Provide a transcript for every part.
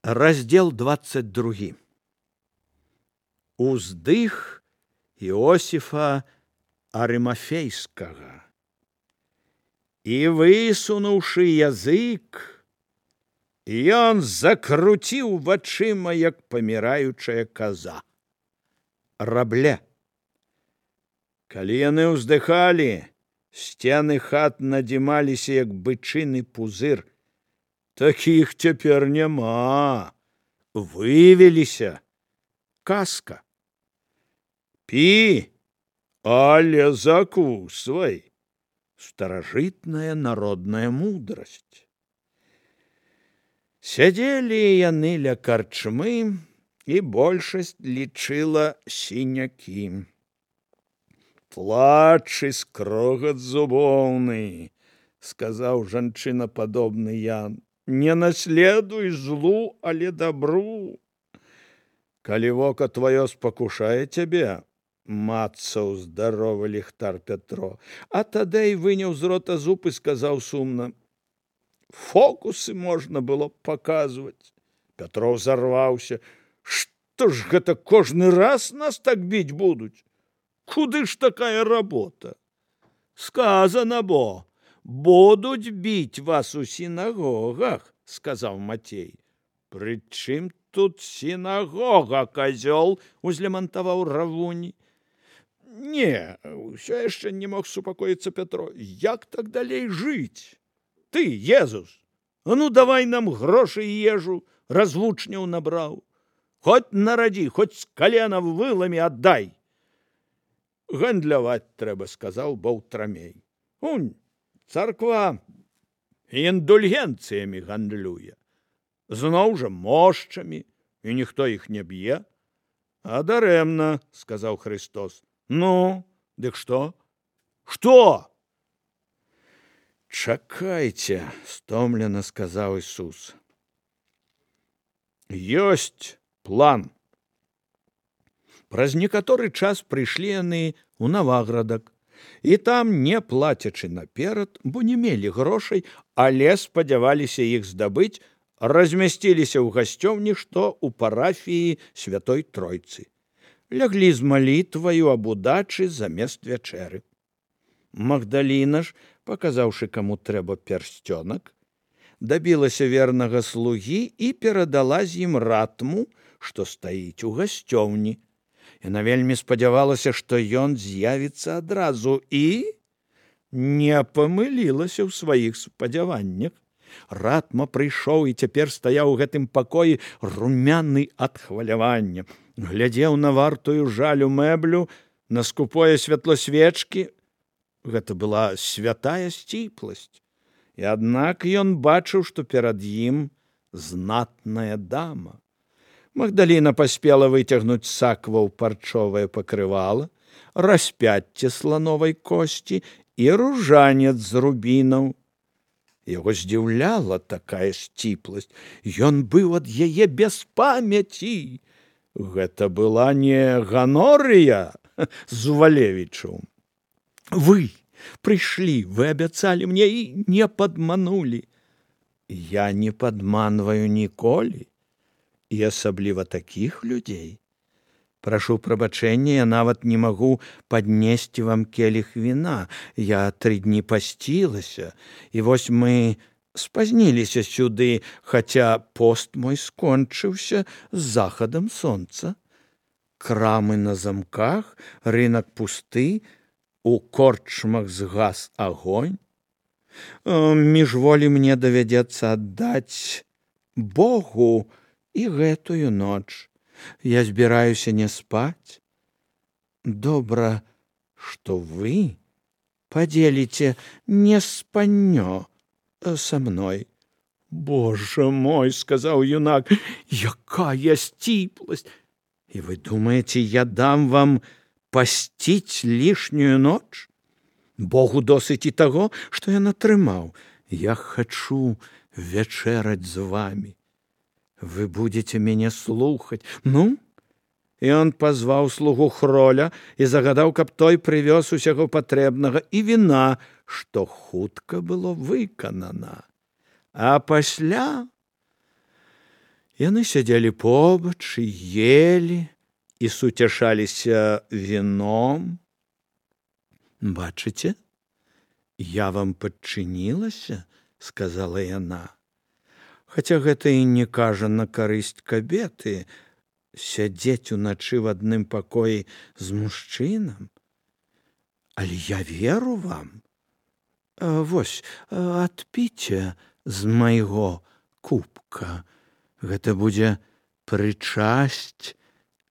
Раздел 22. Уздых Іосіфа Арымафейскага. І высунуўшы язык, ён закруціў вачыма, як паміраючая каза. Рабле. Калі яны ўздыхалі, сцены хат надзімаліся, як бычыны пузыр. Такіх цяпер няма. Вывеліся. Казка. Пі, але закусвай. Старажытная народная мудрасць. Сядзелі яны ля карчмы, і большасць лічыла сінякі. Плач і скрогат зубоўны, сказаў жанчынападобны Ян. Не наследуй злу, але добру. Калі вока твоё спакушае цябе, мацаў здаровы ліхтар Пятро, а тады выняў з рота зуб і сказаў сумна: фокусы можна было паказваць. Пятро взорваўся. Што ж гэта кожны раз нас так біць будуць? Куды ж такая работа? Сказана бо, будуць біць вас у сінагогах, сказаў Мацей. Прычым тут сінагога, казёл, узлямантаваў Равунь. Не, ўсё яшчэ не мог супакоіцца Пятро. Як так далей жыць? Ты, Езус, а ну давай нам грошы і ежу, развучняў набраў. Хоць нарадзі, хоць з калена вылами аддай. Гандляваць трэба, сказаў Баўтрамей. Унь, царква індульгенцыямі гандлюе. Зноў жа мошчамі, і ніхто іх не б'е. А дарэмна, сказаў Христос. Ну, дык што? Што? Чакайце, стомлена сказаў Ісус. Ёсць план. Праз некаторы час прыйшлі яны ў Наваградак. І там, не плацячы наперад, бо не мелі грошай, але спадзяваліся іх здабыць, размясціліся ў гасцёўні, што ў парафіі Святой Тройцы. Ляглі з малітваю аб удачы замест вячэры. Магдаліна ж, паказаўшы, каму трэба пярсцёнак, дабілася вернага слугі і перадала з ім ратму, што стаіць у гасцёўні. Яна вельмі спадзявалася, што ён з'явіцца адразу, і не памылілася ў сваіх спадзяваннях. Ратма прыйшоў і цяпер стаяў у гэтым пакоі румяны ад хвалявання. Глядзеў на вартую жалю мэблю, на скупое святло свечкі. Гэта была святая сціпласць. І аднак ён бачыў, што перад ім знатная дама. Магдаліна паспела выцягнуць саква ў парчовае пакрывала, распяцце слановай косці і ружанец з рубінаў. Яго здзіўляла такая сціпласць. Ён быў ад яе без памяці. Гэта была не ганорыя з Увалевічу. Вы прыйшлі, вы абяцалі мне і не падманулі. Я не падманваю ніколі. І асабліва такіх людзей. Прашу прабачэння, я нават не магу паднесці вам келіх віна. Я 3 дні пасцілася, і вось мы спазніліся сюды, хаця пост мой скончыўся з захадам сонца. Крамы на замках, рынак пусты, у корчмах згас агонь. Міжволі мне давядзецца аддаць Богу і гэтую ноч. Я збіраюся не спаць. Добра, што вы падзеліце не спаннё са мной. Боже мой, сказаў юнак, якая сціпласць! І вы думаеце, я дам вам пасціць лішнюю ноч? Богу досыць і таго, што ён атрымаў. Я хачу вячэраць з вамі. Вы будете мяне слухаць. Ну? І ён пазваў слугу Хроля і загадаў, каб той прывёз усяго патрэбнага і віна, што хутка было выканана. А пасля Яны сядзелі побач і елі і суцяшаліся віном. «Бачыце, я вам падчынілася», – сказала яна. Хаця гэта і не кажа на карысць кабеты, сядзець уначы в адным пакоі з мужчынам. Але я веру вам. Вось, адпіце з майго кубка. Гэта будзе прычасць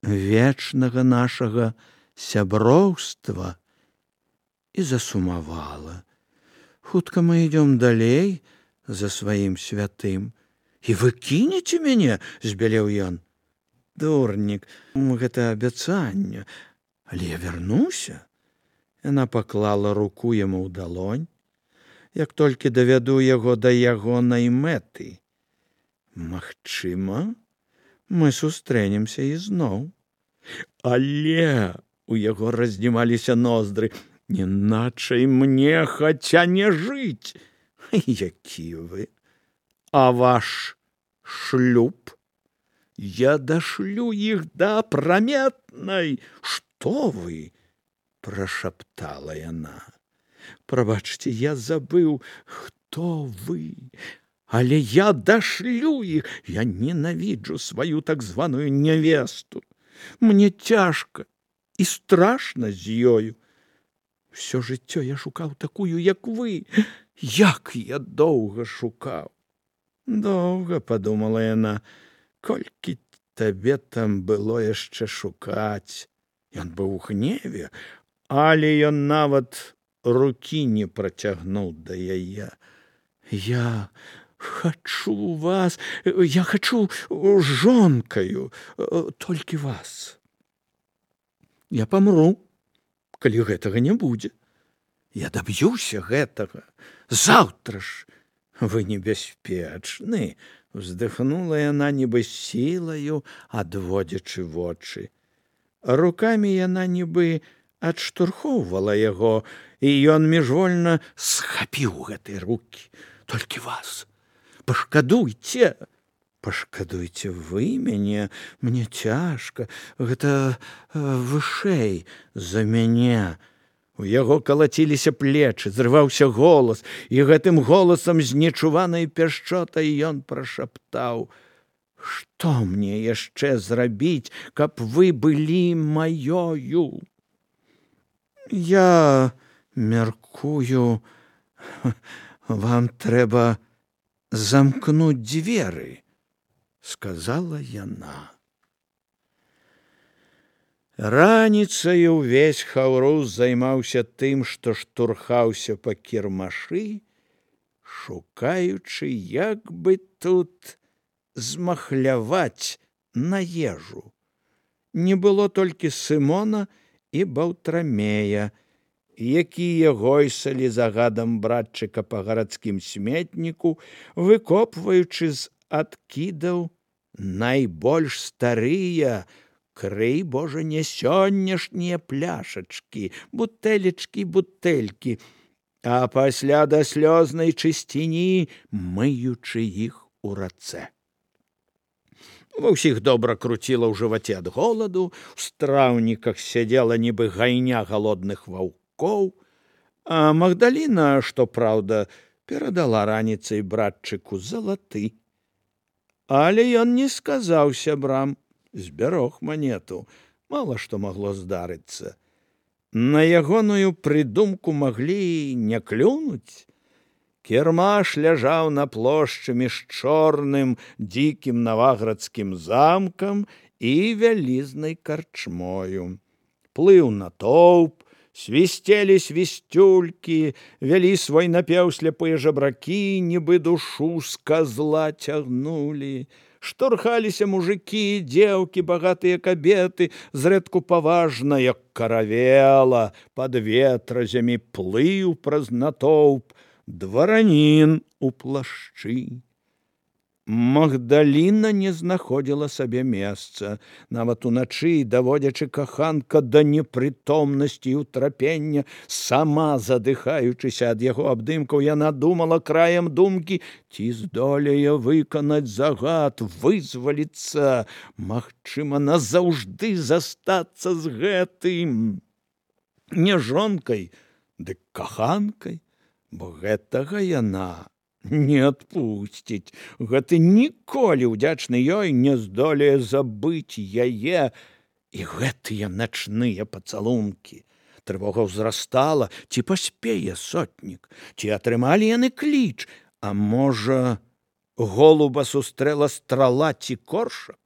вечнага нашага сяброўства. І засумавала. Хутка мы ідём далей за сваім святым. І вы кінеце мяне, збялеў ён. Дурнік, гэта абяцанне, але я вярнуся. Яна паклала руку яму ў далонь. Як толькі давяду яго да ягонай мэты. Магчыма, мы сустрэнемся ізноў. Але у яго раздзімаліся ноздры. Іначай мне хаця не жыць. Які вы? А ваш шлюб? Я дашлю іх да апраметнай. Што вы? Прашаптала яна. Прабачце, я забыў, хто вы. Але я дашлю іх. Я ненавіджу сваю так званую нявесту. Мне цяжка і страшна з ёю. Всё жыццё я шукаў такую, як вы. Як я доўга шукаў. Доўга, падумала яна, колькі табе там было яшчэ шукаць. Ён быў у гневе, але ён нават рукі не працягнуў да яе. Я хачу вас, я хачу жонкаю, толькі вас. Я памру, калі гэтага не будзе. Я даб'юся гэтага. Заўтра ж. Вы небяспечны, уздыхнула яна нібы сілаю, адводзячы вочы. Рукамі яна нібы адштурхоўвала яго, і ён міжвольна схапіў гэтай рукі. Толькі вас. Пашкадуйце. Пашкадуйце вы мяне, мне цяжка, гэта вышэй за мяне. У яго калаціліся плечы, зрываўся голас, і гэтым голасам з нечуванай пяшчотай ён прашаптаў: «Што мне яшчэ зрабіць, каб вы былі маёю? Я мяркую, вам трэба замкнуць дзверы», сказала яна. Раніцаю ўвесь Хаўрус займаўся тым, што штурхаўся па кірмашы, шукаючы, як бы тут змахляваць на ежу. Не было толькі Сымона і Баўтрамея, якія гойсалі загадам братчыка па гарадскім сметніку, выкопваючы з адкідаў найбольш старыя, крый, Божа, не сённяшнія пляшачкі, бутэлечкі, а пасля да слёзнай чысціні мыючы іх у рацэ. Ва ўсіх добра круціла ў жываце ад голаду, у страўніках сядзела нібы гайня галодных ваўкоў, а Магдаліна, што праўда, перадала раніцай братчыку залаты. Але ён не сказаў сябрам, збярог манету, мала што магло здарыцца. На ягоную прыдумку маглі не клюнуць. Кірмаш ляжаў на плошчы між чорным дзікім наваградскім замкам і вялізнай карчмою. Плыў натоўп, свісцелі свісцюлькі, вялі свой напеў сляпыя жабракі, нібы душу з казла цягнулі. Штурхаліся мужыкі, дзеўкі, багатыя кабеты, зрэдку паважна, як каравела, пад ветразямі плыў праз натоўп дваранін у плашчы. Магдаліна не знаходзіла сабе месца. Нават уначы, даводзячы каханка да непрытомнасці і ўтрапення, сама задыхаючыся ад яго абдымкаў, яна думала краем думкі, ці здолее выканаць загад, вызваліцца, магчыма, назаўжды застацца з гэтым. Не жонкай, дык каханкай, бо гэтага яна не адпусціць. Гэты ніколі ўдзячны ёй не здолее забыць яе і гэтыя начныя пацалункі. Трывога ўзрастала, ці паспее сотнік, ці атрымалі яны кліч, а можа, голуба сустрэла страла ці коршак?